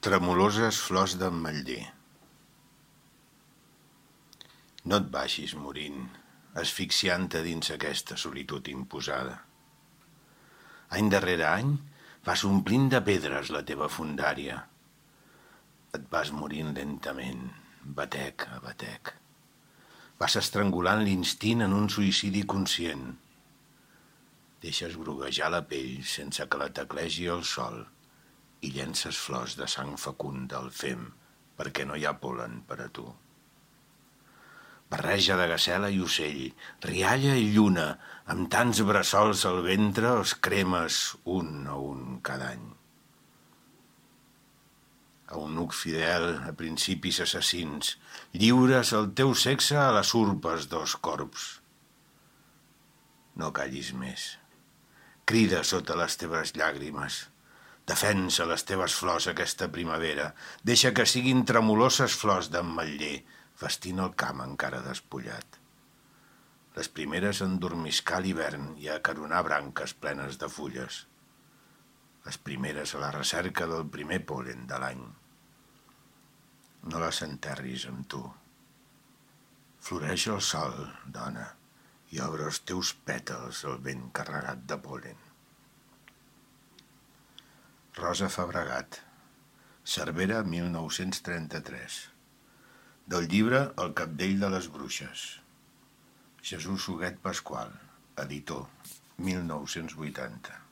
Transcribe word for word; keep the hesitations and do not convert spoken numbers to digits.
Tremoloses flors d'ametller. No et vagis morint, asfixiant-te dins aquesta solitud imposada. Any darrere any vas omplint de pedres la teva fundària. Et vas morint lentament, batec a batec. Vas estrangulant l'instint en un suïcidi conscient. Deixes groguejar la pell sense que la teclegi el sol i llences flors de sang fecunda al fem perquè no hi ha pol·len per a tu. Barreja de gacela i ocell, rialla i lluna, amb tants bressols al ventre els cremes un a un cada any. Eunuc fidel a principis assassins, lliures el teu sexe a les urpes dels corps. No callis més. Crida sota les teves llàgrimes. Defensa les teves flors aquesta primavera. Deixa que siguin tremoloses flors d'ametller, vestint el camp encara despullat. Les primeres a endormiscar l'hivern i a acaronar branques plenes de fulles. Les primeres a la recerca del primer pol·len de l'any. No les enterris amb tu. Floreix el sol, dona, i obre els teus pètals al vent carregat de pol·len. Rosa Fabregat, Cervera, mil nou-cents trenta-tres. Del llibre El cabdell de les bruixes. Jesús Huguet Pasqual, editor, mil nou-cents vuitanta.